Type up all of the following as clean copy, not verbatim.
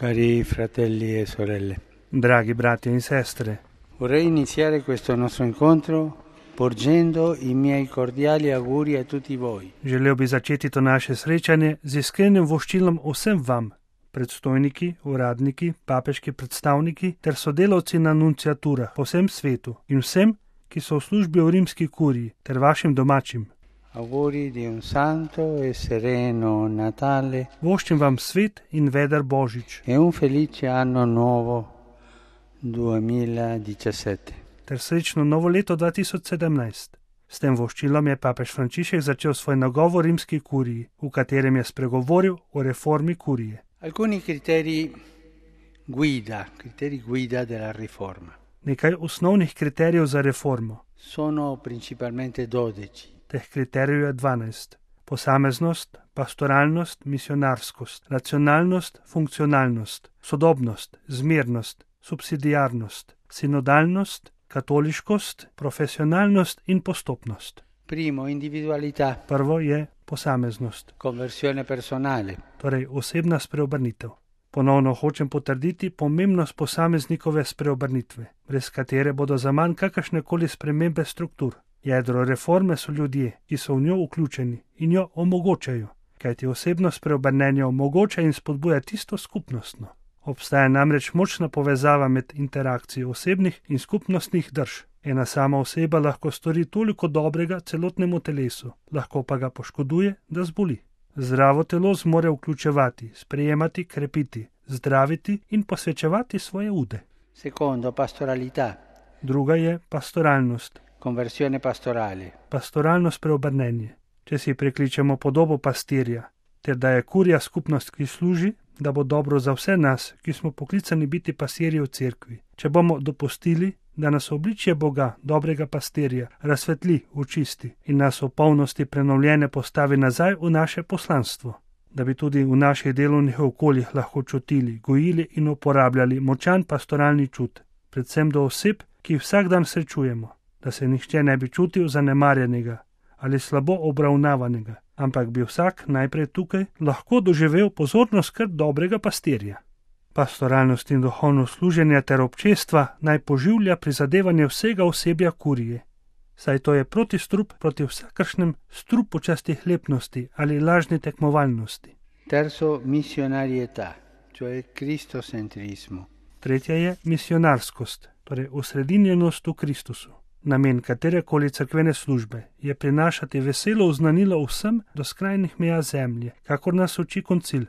Cari fratelli e sorelle, Dragi brati in sestre, vorrei iniziare questo nostro incontro porgendo i miei cordiali auguri a tutti voi. želel bi začeti to naše srečanje z iskrenim voščilom vsem vam, predstojniki, uradniki, papeški predstavniki ter sodelavci na nunciaturah po vsem svetu in vsem, ki so v službi v rimski kuriji ter vašim domačim. Auguri di un santo e sereno Natale Voščim vam svet in veder Božič e un felice anno nuovo 2017. ter srečno novo leto 2017. S tem voščilom je papež Frančišek začel svoj nagovor rimski kuriji, v katerem je spregovoril o reformi kurije. Alcuni criteri guida della riforma. Nekaj osnovnih kriterijev za reformo. Sono principalmente 12. Teh kriterijev je 12. Posameznost, pastoralnost, misionarskost, racionalnost, funkcionalnost, sodobnost, zmernost, subsidiarnost, sinodalnost, katoliškost, profesionalnost in postopnost. Primo, individualità, Prvo je posameznost, conversione personale, torej osebna spreobrnitev. Ponovno hočem potrditi pomembnost posameznikove spreobrnitve, brez katere bodo zaman kakršnekoli spremembe struktur. Jedro reforme so ljudje, ki so v njo vključeni in jo omogočajo, kajti osebno spreobrnenje omogoča in spodbuja tisto skupnostno. Obstaja namreč močna povezava med interakcijo osebnih in skupnostnih drž. Ena sama oseba lahko stori toliko dobrega celotnemu telesu, lahko pa ga poškoduje, da zboli. Zdravo telo zmore vključevati, sprejemati, krepiti, zdraviti in posvečevati svoje ude. secondo, pastoralità, Druga je pastoralnost, conversione pastorale, pastoralno spreobrnenje. Če si prekličemo podobo pastirja, ter da je kurija skupnost, ki služi, da bo dobro za vse nas, ki smo poklicani biti pastirji v cerkvi. Če bomo dopustili, da nas obličje Boga, dobrega pastirja, razsvetli, očisti in nas v polnosti prenovljene postavi nazaj v naše poslanstvo, da bi tudi v naših delovnih okoljih lahko čutili, gojili in uporabljali močan pastoralni čut, predvsem do oseb, ki jih vsak dan srečujemo, da se nihče ne bi čutil zanemarjenega ali slabo obravnavanega, ampak bi vsak najprej tukaj lahko doživel pozorno skrb dobrega pastirja. Pastoralnost in duhovno služenje ter občestva naj poživlja prizadevanje vsega osebja kurije, saj to je protistrup proti vsakršnem strupu častihlepnosti ali lažni tekmovalnosti. terzo, missionarietà, cioè cristocentrismo, Tretja je misionarskost, torej osredinjenost v Kristusu. Namen katerekoli cerkvene službe je prinašati veselo oznanilo vsem do skrajnih meja zemlje, kakor nas uči koncil.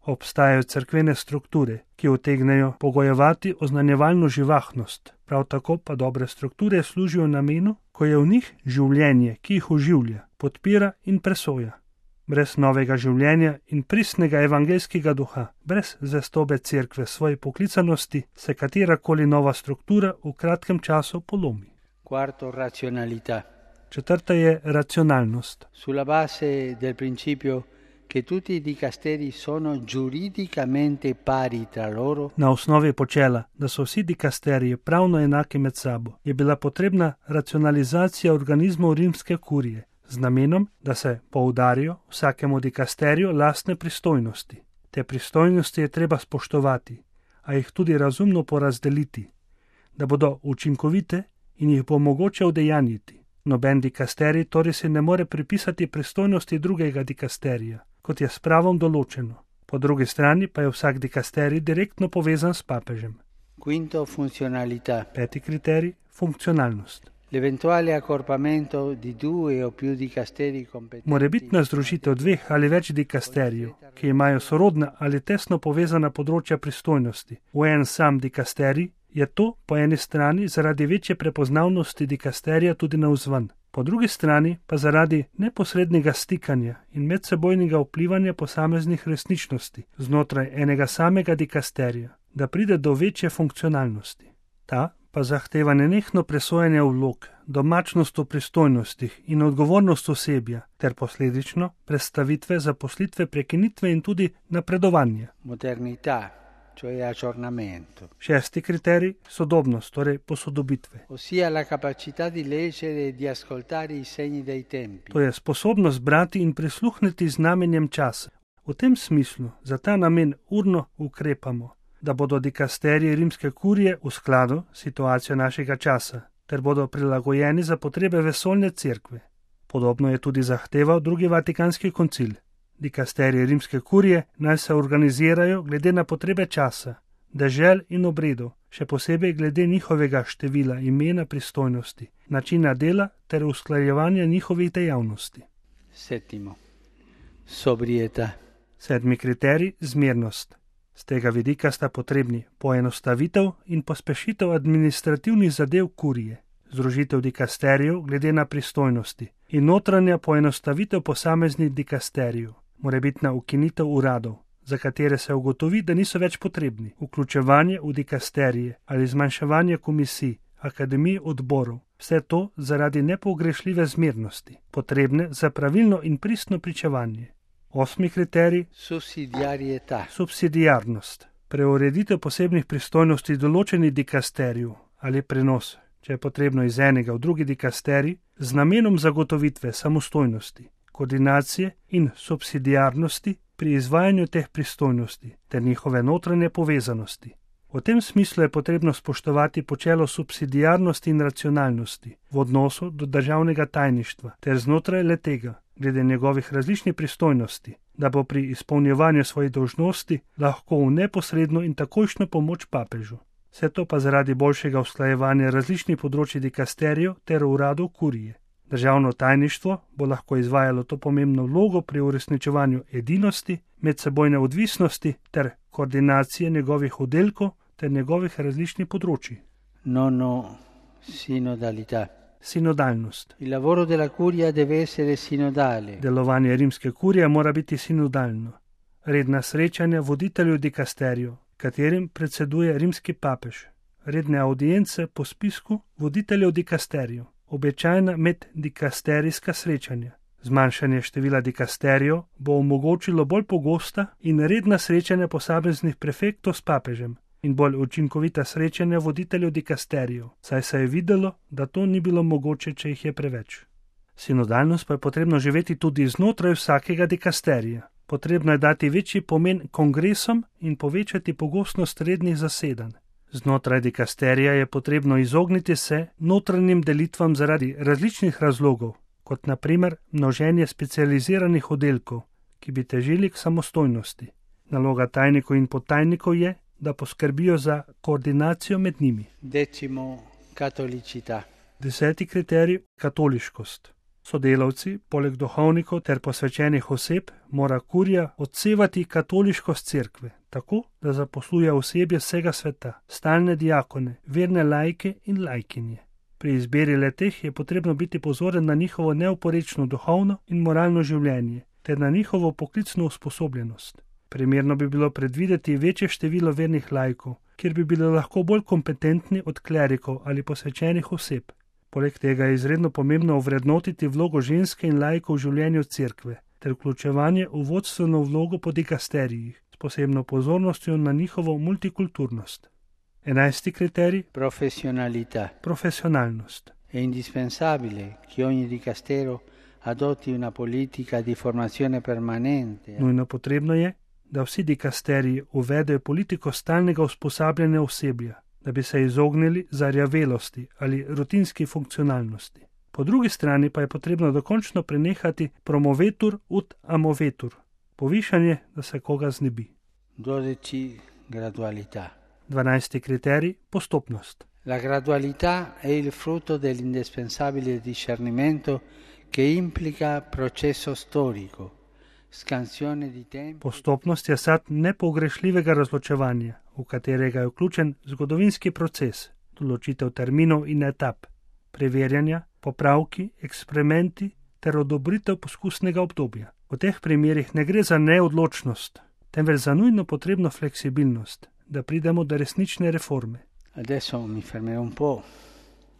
Obstajajo cerkvene strukture, ki utegnejo pogojevati oznanjevalno živahnost, prav tako pa dobre strukture služijo namenu, ko je v njih življenje, ki jih oživlja, podpira in presoja. Brez novega življenja in pristnega evangeljskega duha, brez zvestobe cerkve svoji poklicanosti, se katerakoli nova struktura v kratkem času polomi. quarto, razionalità, Četrta je racionalnost. sulla base del principio che tutti i dicasteri sono giuridicamente pari tra loro, Na osnovi počela, da so vsi dikasteriji pravno enaki med sabo, je bila potrebna racionalizacija organizmov rimske kurije, z namenom, da se poudarijo vsakemu dikasteriju lastne pristojnosti. Te pristojnosti je treba spoštovati, a jih tudi razumno porazdeliti, da bodo učinkovite in jih bo mogoče udejanjiti. Noben dikasterij torej si ne more pripisati pristojnosti drugega dikasterija, kot je s pravom določeno. Po drugi strani pa je vsak dikasterij direktno povezan s papežem. quinto, funzionalità, Peti kriterij, funkcionalnost. l'eventuale accorpamento di due o più dicasteri competenti Morebitna združitev dveh ali več dikasterijev, ki imajo sorodna ali tesno povezana področja pristojnosti, v en sam dikasterij, je to po eni strani zaradi večje prepoznavnosti dikasterija tudi navzven, po drugi strani pa zaradi neposrednega stikanja in medsebojnega vplivanja posameznih resničnosti znotraj enega samega dikasterija, da pride do večje funkcionalnosti. Ta pa zahteva nenehno presojanje vlog, domačnost v pristojnostih in odgovornost osebja ter posledično prestavitve, zaposlitve, prekinitve in tudi napredovanje. modernità, cioè aggiornamento, Šesti kriterij, sodobnost, torej posodobitve. ossia la capacità di leggere e di ascoltare i segni dei tempi, To je sposobnost brati in prisluhniti znamenjem časa, V tem smislu za ta namen urno ukrepamo, da bodo dikasteriji rimske kurije v skladu s situacijo našega časa, ter bodo prilagojeni za potrebe vesoljne cerkve. Podobno je tudi zahteval drugi Vatikanski koncil. Dikasteriji rimske kurije naj se organizirajo glede na potrebe časa, dežel in obredov, še posebej glede njihovega števila, imena, pristojnosti, načina dela ter usklajevanja njihovih dejavnosti. Settimo. Sobrietà. 7. kriterij, zmernost. Z tega vidika sta potrebni poenostavitev in pospešitev administrativnih zadev kurije, združitev dikasterijev glede na pristojnosti in notranja poenostavitev posameznih dikasterijev, morebitna ukinitev uradov, za katere se ugotovi, da niso več potrebni, vključevanje v dikasterije ali zmanjševanje komisij, akademij, odborov, vse to zaradi nepogrešljive zmernosti, potrebne za pravilno in pristno pričevanje. 8. kriterij, subsidiarnost. Preureditev posebnih pristojnosti določenih dikasterijev ali prenos, če je potrebno iz enega v drugi dikasterij, z namenom zagotovitve samostojnosti, koordinacije in subsidiarnosti pri izvajanju teh pristojnosti ter njihove notranje povezanosti. V tem smislu je potrebno spoštovati počelo subsidiarnosti in racionalnosti v odnosu do državnega tajništva ter znotraj le-tega, glede njegovih različnih pristojnosti, da bo pri izpolnjevanju svojih dolžnosti lahko v neposredno in takojšnjo pomoč papežu. Vse to pa zaradi boljšega usklajevanja različnih področij dikasterijev ter uradov kurije. Državno tajništvo bo lahko izvajalo to pomembno vlogo pri uresničevanju edinosti, medsebojne odvisnosti ter koordinacije njegovih oddelkov ter njegovih različnih področij. Nono, sinodalità. Sinodalnost. Il lavoro della curia deve essere sinodale. Delovanje rimske kurije mora biti sinodalno. Redna srečanja voditeljev dikasterijev, katerim predseduje rimski papež. Redne audience po spisku voditeljev dikasterijev. Običajna meddikasterijska srečanja. Zmanjšanje števila dikasterijev bo omogočilo bolj pogosta in redna srečanja posameznih prefektov s papežem in bolj učinkovita srečanja voditeljev dikasterijev, saj se je videlo, da to ni bilo mogoče, če jih je preveč. Sinodalnost pa je potrebno živeti tudi znotraj vsakega dikasterija. Potrebno je dati večji pomen kongresom in povečati pogostnost rednih zasedanj. Znotraj dikasterija je potrebno izogniti se notranjim delitvam zaradi različnih razlogov, kot na primer množenje specializiranih oddelkov, ki bi težili k samostojnosti. Naloga tajnikov in podtajnikov je, da poskrbijo za koordinacijo med njimi. 10. Katolicità. 10. kriterij, katoliškost. Sodelavci, poleg duhovnikov ter posvečenih oseb, mora kurija odsevati katoliškost cerkve, tako, da zaposluje osebje vsega sveta, stalne diakone, verne laike in lajkinje. Pri izbiri le-teh je potrebno biti pozoren na njihovo neoporečno duhovno in moralno življenje, ter na njihovo poklicno usposobljenost. Primerno bi bilo predvideti večje število vernih laikov, kjer bi bili lahko bolj kompetentni od klerikov ali posvečenih oseb. Poleg tega je izredno pomembno ovrednotiti vlogo ženske in laikov v življenju cerkve, ter vključevanje v vodstveno vlogo po dikasterijih, s posebno pozornostjo na njihovo multikulturnost. 11. kriterij, profesionalnost. È indispensabile che ogni dicastero adotti una politica di formazione permanente. Nujno potrebno je, da vsi dikasteriji uvedejo politiko stalnega usposabljanja osebja, da bi se izognili zarjavelosti ali rutinski funkcionalnosti. Po drugi strani pa je potrebno dokončno prenehati promovetur ut amovetur, povišanje, da se koga znebi. 12. Gradualità. 12. kriterij, postopnost. La gradualità è il frutto dell'indispensabile discernimento che implica processo storico, scansione di tempo. Postopnost je sad nepogrešljivega razločevanja, v katerega je vključen zgodovinski proces, določitev terminov in etap, preverjanja, popravki, eksperimenti ter odobritev poskusnega obdobja. V teh primerih ne gre za neodločnost, temveč za nujno potrebno fleksibilnost, da pridemo do resnične reforme. Adesso mi fermerò un po'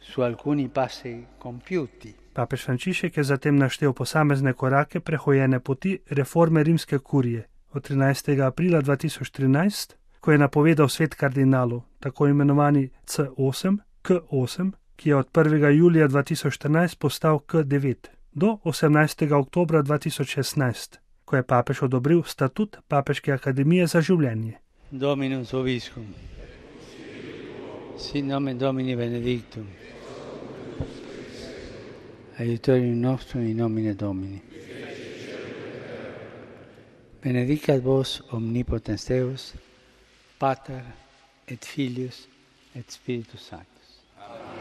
su alcuni passi compiuti. Papež Frančišek je zatem naštel posamezne korake prehojene poti reforme rimske kurije od 13. aprila 2013, ko je napovedal svet kardinalov, tako imenovani C8, K8, ki je od 1. julija 2014 postal K9, do 18. oktobra 2016, ko je papež odobril statut Papeške akademije za življenje. Dominus vobiscum. Sit nomen Domini benedictum. Aiutorium nostrum in nomine Domini. Benedicat vos omnipotens Deus, Pater et Filius et Spiritus Sanctus. Amen.